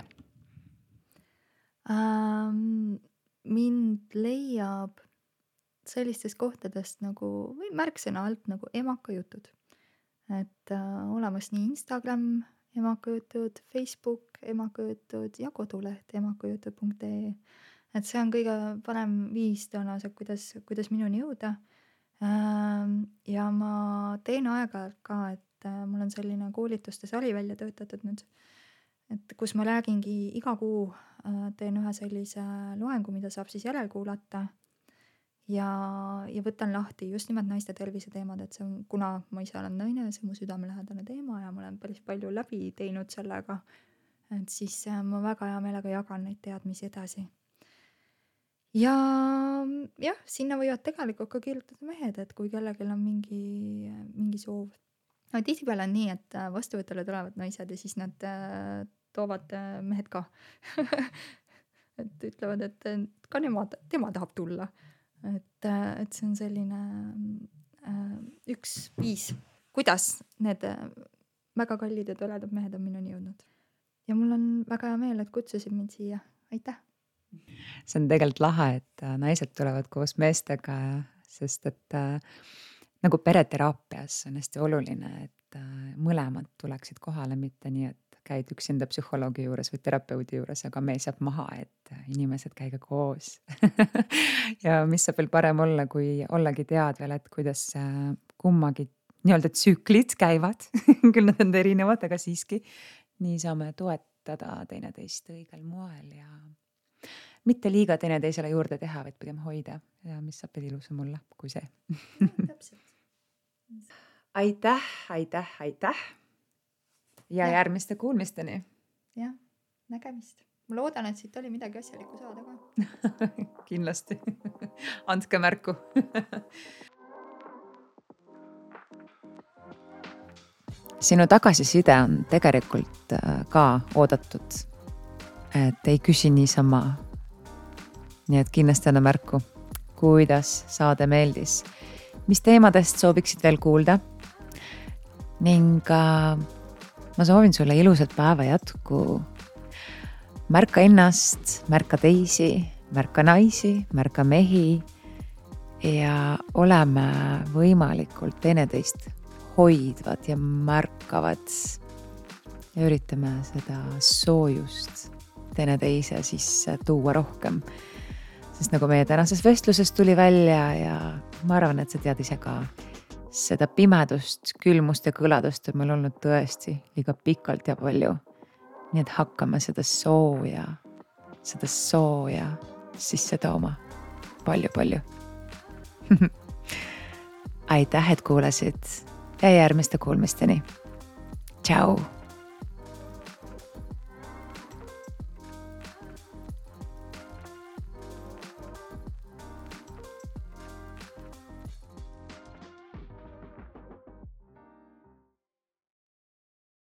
Ähm, mind leiab sellistest kohtadest nagu, või märksõna alt nagu emakajutud. Et äh, olemas nii Instagram emakajutud, Facebook emakajutud ja koduleht emakajutud punkt ee. Et see on kõige parem viis tõenäoliselt, kuidas, kuidas minuni jõuda. Ähm, ja ma teen aeg-ajalt ka, et mul on selline koolituste sari välja töötatud nüüd, et kus ma räägingi iga kuu, teen ühe sellise loengu, mida saab siis järelkuulata ja, ja võtan lahti just nimelt naiste tervise teemad, et see on, kuna ma ise olen naine, see on mu südamelähedane teema ja ma olen päris palju läbi teinud sellega, et siis ma väga hea meelega jagan neid teadmisi edasi. Ja jah, sinna võivad tegelikult ka kirjutada mehed, et kui kellelgi on mingi, mingi soov. No, tihtipeale on nii, et vastuvõtule tulevad naised ja siis nad äh, toovad äh, mehed ka. Et ütlevad, et ka nemad, tema tahab tulla. Et, äh, et see on selline äh, üks viis, kuidas need äh, väga kallid ja toredad mehed on minuni jõudnud. Ja mul on väga hea meel, et kutsusid mind siia. Aitäh! See on tegelikult lahe, et naised tulevad koos meestega, sest et äh, nagu pereteraapias on hästi oluline, et mõlemad tuleksid kohale, mitte nii, et käid üksinda psühholoogi juures või terapeudi juures, aga mees jääb maha, et inimesed käige koos. Ja mis saab veel parem olla, kui ollagi tead veel, et kuidas kummagi nii-öelda tsüklid käivad. Küll nad on erinevad, aga siiski nii saame toetada teineteist õigel moel ja mitte liiga teineteisele juurde teha, vaid pigem hoida. Ja mis saab veel ilusam olla kui see. Täpselt. Aitäh, aitäh, aitäh. Ja, ja järgmiste kuulmisteni. Jah, nägemist. Ma loodan, et siit oli midagi asjalikku saada ka. Kindlasti. Andke märku. Sinu tagasiside on tegelikult ka oodatud. Et ei küsi niisama. Nii et kindlasti anna märku, kuidas saade meeldis. Mis teemadest sooviksid veel kuulda? Ning äh, ma soovin sulle ilusat päeva jätku. Märka ennast, märka teisi, märka naisi, märka mehi ja oleme võimalikult teineteist hoidvad ja märkavad ja üritame seda soojust teineteise sisse tuua rohkem. Sest nagu meie tänases vestluses tuli välja ja ma arvan, et sa tead ise ka, seda pimedust, külmust ja kõladust on meil olnud tõesti liiga pikalt ja palju. Nii et hakkame seda sooja, seda sooja sisse tooma palju-palju. Aitäh, et kuulasid ja järgmiste kuulmisteni. Tšau!